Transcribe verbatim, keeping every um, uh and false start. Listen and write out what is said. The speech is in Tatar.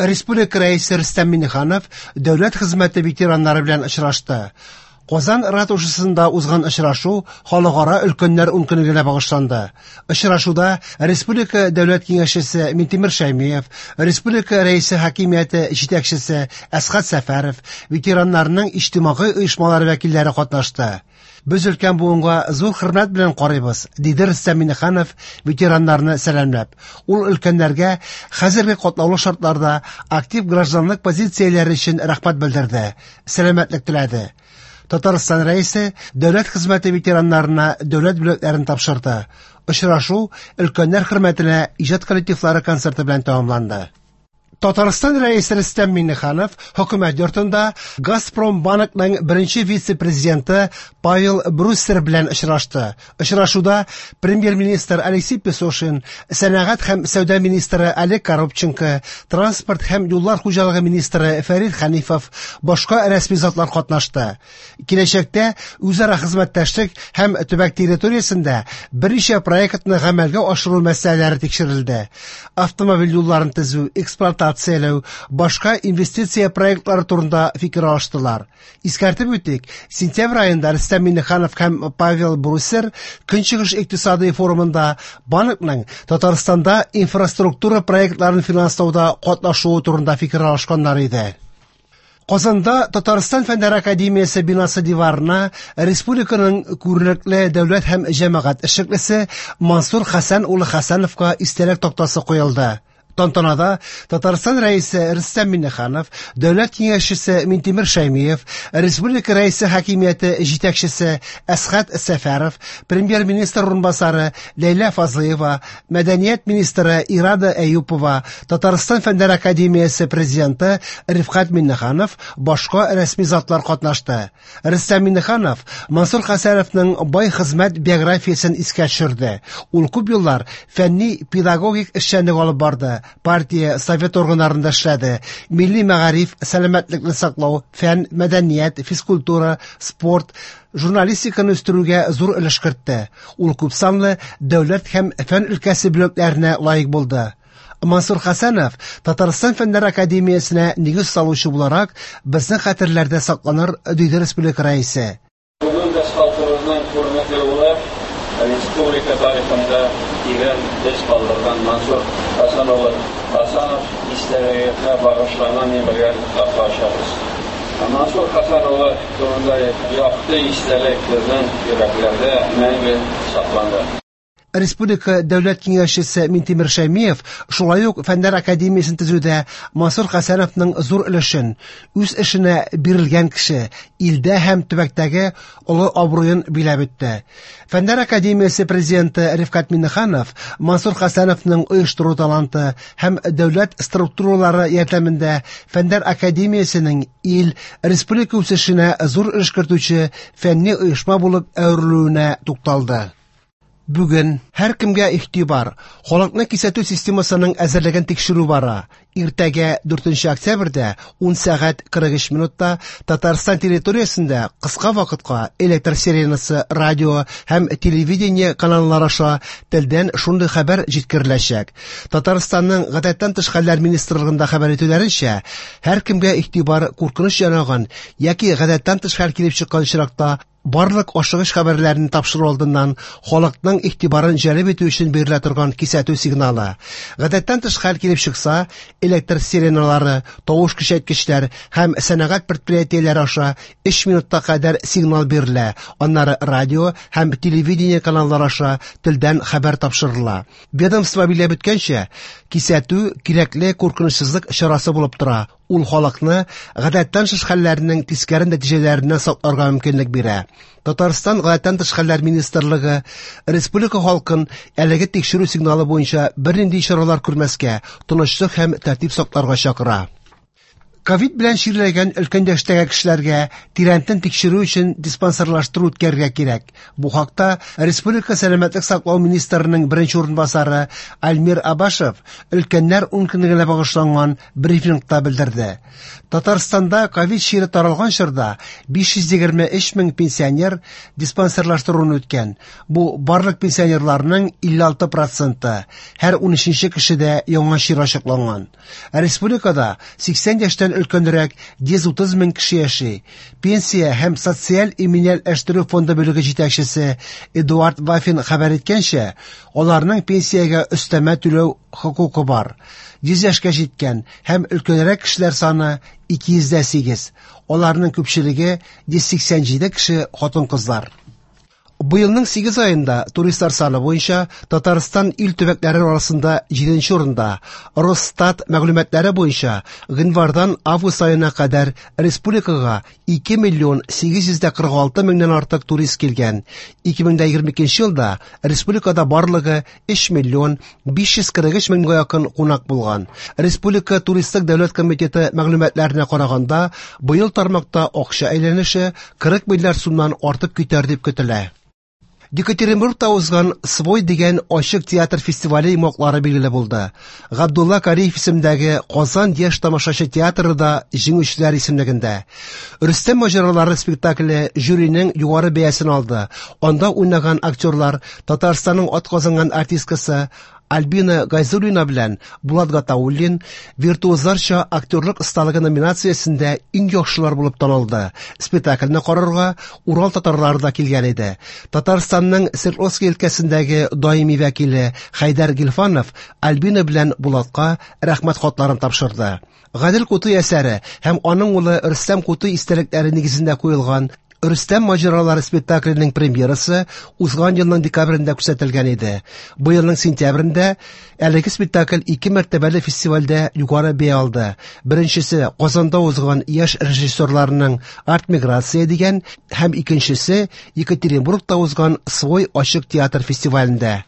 Республика Рәисе Рөстәм Миңнеханов дәүләт хезмәте ветераннары белән очрашты. Казан ратушасында узган очрашу Халыкара өлкәннәр ункөнлегенә багышланды. Очрашуда Республика Дәүләт Киңәшчесе Минтимер Шәймиев, Республика Рәисе хакимияте җитәкчесе Әсгать Сәфәров, ветераннарның иҗтимагый оешмалары вәкилләре катнашты. Без өлкән буынга зур хөрмәт белән карыйбыз, диде Рөстәм Миңнеханов ветераннарны сәламләп. Ул өлкәннәргә хәзерге катлаулы шартларда актив гражданлык позицияләре өчен рәхмәт белдерде, сәламәтлек теләде. Татарстан Рәисе дәүләт хезмәте ветераннарына дәүләт бүләкләрен тапшырды. Очрашу өлкәннәр хөрмәтенә иҗат коллективлары концерты белән тәмамланды. Татарстан Рәисе Рөстәм Миңнеханов хөкүмәт йортында Газпром банкның беренче вице-президенты Павел Бруссер белән очрашты. Очрашуда премьер-министр Алексей Песошин, сәнәгать һәм сәүдә министры Олег Коробченко, транспорт һәм юллар хуҗалыгы министры Фәрит Хәнифов, башка рәсми затлар катнашты. Киләчәктә үзара хезмәттәшлек һәм төбәк территориясендә берничә проектны гамәлгә ашыру мәсьәләләре тикшерелде. Автомобиль юлларын төзү, эксплуатацияләү, башка инвестиция проектлары турында фикер алыштылар. Искәртеп үтик, сентябрь аенда Рөстәм Миңнеханов һәм Павел Бруссер Көнчыгыш икътисади форумында банкның Татарстанда инфраструктура проектларын финанслауда катнашуы турында фикер алышканнар иде. Казанда Татарстан Фәннәр академиясе бинасы диварына республиканың күренекле дәүләт һәм җәмәгать эшлеклесе Мансур Хәсән улы Хәсәновка истәлек тактасы куелды. Тантанада Татарстан Рәисе Рөстәм Миңнеханов, Дәүләт Киңәшчесе Минтимер Шәймиев, Республика Рәисе хакимияте җитәкчесе Әсгать Сәфәров, премьер-министр урынбасары Ләйлә Фазлыева, мәдәният министры Ирада Әюпова, Татарстан Фәннәр академиясе президенты Рифкать Миңнеханов, башка рәсми затлар катнашты. Рөстәм Миңнеханов Мансур Хәсәновның бай хезмәт биографиясен искә төшерде. Ул күп еллар фәнни педагогик эшчәнлек алып барды. Партия, совет органнарында эшләде. Милли мәгариф, сәламәтлекне саклау, фән, мәдәният, физкультура, спорт, журналистиканы үстерүгә зур өлеш кертте. Ул күпсанлы дәүләт һәм фән өлкәсе бүләкләренә лаек булды. Мансур Хәсәнов Татарстан Фәннәр академиясенә нигез салучы буларак безнең хәтерләрдә сакланыр, диде республика рәисе. Бүген без халкыбызның күренекле улы, республика тарихында тирән эз калдырган Мансур Хәсән улы Хәсәнов истәлегенә багышланган мемориаль такта ачабыз. Мансур Хәсән улы турында якты истәлек безнең йөрәкләрдә мәңге сакланды. Республика Дәүләт Киңәшчесе Минтимер Шәймиев шулай ук Фәннәр академиясен төзүдә Мансур Хәсәновның зур өлешен, үз эшенә бирелгән кеше, илдә һәм төбәктәге олы абруен биләп үтте. Фәннәр академиясе президенты Рифкать Миңнеханов Мансур Хәсәновның оештыру таланты һәм дәүләт структуралары ярдәмендә Фәннәр академиясенең ил, республика үсешенә зур өлеш кертүче фәнни оешма булып әверелүенә тукталды. Бүген һәркемгә игътибар, халыкны кисәтү системасының әзерлеген тикшерү бара. Иртәгә дүртенче октябрьдә ун сәгать кырык өч минутта Татарстан территориясендә кыска вакытка электр сиренасы, радио һәм телевидение каналлары аша телдән шундый хәбәр җиткереләчәк. Татарстанның гадәттән тыш хәлләр министрлыгында хәбәр итүләренчә, һәркемгә игътибар куркыныч янаган яки гадәттән тыш хәл килеп чыккан очракта барлык ашыгыч хәбәрләрне тапшыру алдыннан халыкның игътибарын җәлеп итү өчен бирелә торган кисәтү сигналы. Гадәттән тыш хәл килеп чыкса, электр сиреналары, тавыш көчәйткечләр һәм сәнәгать предприятиеләре аша өч минутка кадәр сигнал бирелә. Аннары радио һәм телевидение каналлары аша телдән хәбәр тапшырыла. Ведомство билгеләп үткәнчә, кисәтү кирәкле куркынычсызлык чарасы булып тора. Ул халыкны гадәттән тыш хәлләрнең тискәре нәтиҗәләреннән сакларга мөмкинлек бирә. Татарстан гадәттән тыш хәлләр министрлыгы республика халкын әлеге тикшерү сигналы буенча бернинди чаралар күрмәскә, тынычлык һәм тәртип сакларга чакыра. Ковид белән чирләгән өлкән яшьтәге кешеләргә тирәнтен тикшерү өчен диспансерлаштыру үткәрергә кирәк. Бу хакта Республика сәламәтлек саклау министрының беренче урынбасары Альмир Абашев өлкәннәр ункөнлегенә багышланган брифингта белдерде. Татарстанда ковид чире таралган чорда биш йөз егерме өч мең пенсионер диспансерлаштыруны үткән. Бу барлык пенсионерларның илле алты проценты. Һәр унөченче кешедә яңа чир ачыкланган. Республикада сиксән яшьтән өлкәнрәк йөз утыз мең кеше яши. Пенсия һәм социаль иминиятләштерү фонды бүлеге җитәкчесе Эдуард Вафин хәбәр иткәнчә, аларның пенсиягә өстәмә түләү хокукы бар. Йөз яшькә җиткән һәм өлкәнрәк кешеләр саны ике йөз дә сигез. Аларның күпчелеге йөз сиксән җиде кеше хатын-кызлар. Быелның сигез аенда туристлар саны буенча Татарстан ил төбәкләре арасында җиденче урында. Росстат мәгълүматлары буенча гыйнвардан август аена кадәр республикага ике миллион сигез йөз дә кырык алты меңнән артык турист килгән. Ике мең дә егерме икенче елда республикада барлыгы өч миллион биш йөз кырык өч меңгә якын кунак булган. Республика туристик дәүләт комитеты мәгълүматларына караганда, быел тармакта акча әйләнеше кырык миллиард сумнан артып китәр дип көтелә. Екатеринбургта узган Свой дигән ачык театр фестивале йомгаклары билгеле булды. Габдулла Кариев исемендәге Казан яшь тамашачы театры да җиңүчеләр исемлегендә. Рөстәм маҗаралары спектакле жюриның югары бәясен алды. Анда уйнаган актерлар Татарстанның атказанган артисткасы Альбина Гайзуллина белән Булат Гатауллин виртуозларча актерлык осталыгы номинациясендә иң яхшылар булып танылды. Спектакльне карарга Урал татарлары да килгән иде. Татарстанның Свердловский өлкәсендәге даими вәкиле Хәйдәр Гилфанов Альбина белән Булатка рәхмәт хатларын тапшырды. Гадел Кутуй әсәре һәм аның улы Рөстәм Кутуй истәлекләре нигезендә куелган Рөстәм маҗаралары спектакленең премьерасы узган елның декабрендә күрсәтелгән иде. Быелның сентябрендә әлеге спектакль ике мәртәбәле фестивальдә югары бәя алды. Беренчесе Казанда узган яшь режиссерларның Арт-миграция дигән һәм икенчесе Екатеринбургта узган Свой ачык театр фестивалендә.